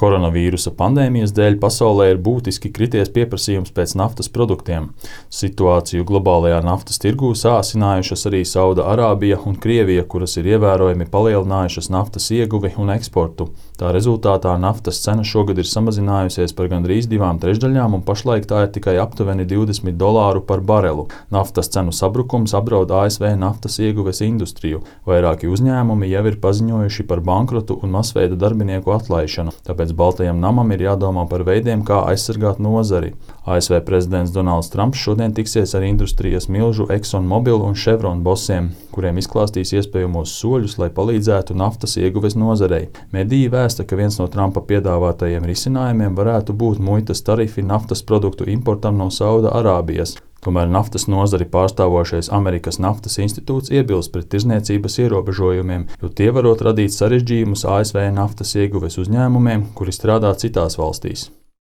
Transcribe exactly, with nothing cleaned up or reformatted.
Koronavīrusa pandēmijas dēļ pasaulē ir būtiski krities pieprasījums pēc naftas produktiem. Situāciju globālajā naftas tirgū sāsinājušas arī Sauda-Arābija un Krievija, kuras ir ievērojami palielinājušas naftas ieguvi un eksportu. Tā rezultātā naftas cena šogad ir samazinājusies par gandrīz divām trešdaļām, un pašlaik tā ir tikai aptuveni divdesmit dolāru par barelu. Naftas cenu sabrukums apdraud A S V naftas ieguves industriju. Vairāki uzņēmumi jau ir paziņojuši par bankrotu un masveida darbinieku atlaišanu. Tāpēc Baltajam namam ir jādomā par veidiem, kā aizsargāt nozari. A S V prezidents Donalds Trumps šodien tiksies ar industrijas milžu ExxonMobil un Chevron bosiem, kuriem izklāstīs iespējamos soļus, lai palīdzētu naftas ieguves nozarei. Mediji vēsta, ka viens no Trumpa piedāvātajiem risinājumiem varētu būt muitas tarifi naftas produktu importam no Sauda-Arābijas. Tomēr naftas nozari pārstāvošais Amerikas Naftas institūts iebilst pret tirzniecības ierobežojumiem, jo tie varot radīt sarežģījumus A S V naftas ieguves uzņēmumiem, kuri strādā citās valstīs.